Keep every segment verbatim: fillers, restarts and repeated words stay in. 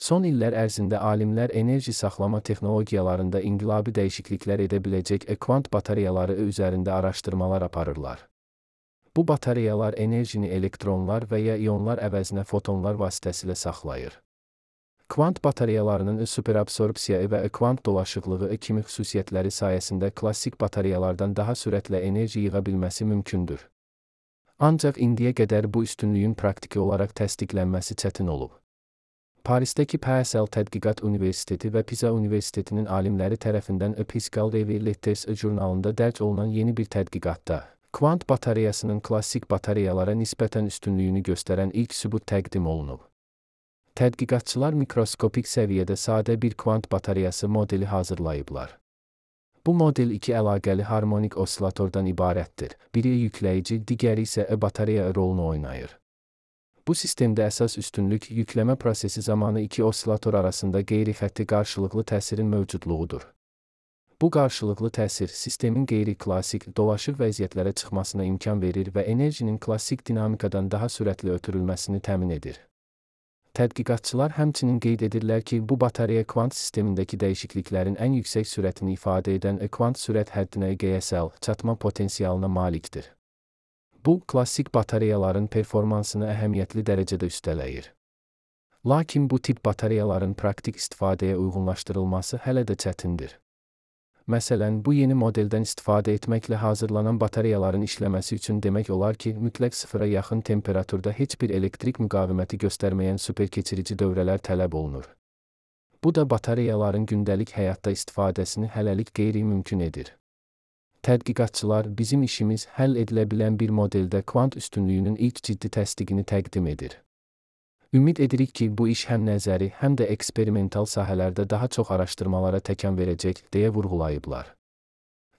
Son illər ərzində alimlər enerji saxlama texnologiyalarında inqilabi dəyişikliklər edə biləcək kvant batareyaları üzərində araşdırmalar aparırlar. Bu batareyalar enerjini elektronlar və ya ionlar əvəzinə fotonlar vasitəsilə saxlayır. Kvant batareyalarının superabsorpsiya və kvant dolaşıqlığı kimi xüsusiyyətləri sayəsində klassik batareyalardan daha sürətlə enerji yığa bilməsi mümkündür. Ancaq indiyə qədər bu üstünlüyün praktiki olaraq təsdiqlənməsi çətin olub. Parisdəki P S L Tədqiqat Universiteti və Pisa Universitetinin alimləri tərəfindən Physical Review Letters jurnalında dərc olunan yeni bir tədqiqatda, kvant batareyasının klassik batareyalara nisbətən üstünlüyünü göstərən ilk sübut təqdim olunub. Tədqiqatçılar mikroskopik səviyyədə sadə bir kvant batareyası modeli hazırlayıblar. Bu model iki əlaqəli harmonik osilatordan ibarətdir. Biri yükləyici, digəri isə batareya rolunu oynayır. Bu sistemdə əsas üstünlük yükləmə prosesi zamanı iki osilator arasında qeyri-xətti qarşılıqlı təsirin mövcudluğudur. Bu qarşılıqlı təsir sistemin qeyri-klassik, dolaşıq vəziyyətlərə çıxmasına imkan verir və enerjinin klassik dinamikadan daha sürətli ötürülməsini təmin edir. Tədqiqatçılar həmçinin qeyd edirlər ki, bu batareya kvant sistemindəki dəyişikliklərin ən yüksək sürətini ifadə edən kvant sürət həddinə G S L çatma potensialına malikdir. Bu, klassik batareyaların performansını əhəmiyyətli dərəcədə üstələyir. Lakin bu tip batareyaların praktik istifadəyə uyğunlaşdırılması hələ də çətindir. Məsələn, bu yeni modeldən istifadə etməklə hazırlanan batareyaların işləməsi üçün demək olar ki, mütləq sıfıra yaxın temperaturda heç bir elektrik müqaviməti göstərməyən superkeçirici dövrələr tələb olunur. Bu da batareyaların gündəlik həyatda istifadəsini hələlik qeyri-mümkün edir. Tədqiqatçılar bizim işimiz həll edilə bilən bir modeldə kvant üstünlüyünün ilk ciddi təsdiqini təqdim edir. Ümid edirik ki, bu iş həm nəzəri, həm də eksperimental sahələrdə daha çox araşdırmalara təkan verəcək, deyə vurğulayıblar.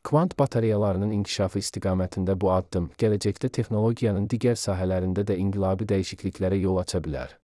Kvant batareyalarının inkişafı istiqamətində bu addım, gələcəkdə texnologiyanın digər sahələrində də inqilabi dəyişikliklərə yol aça bilər.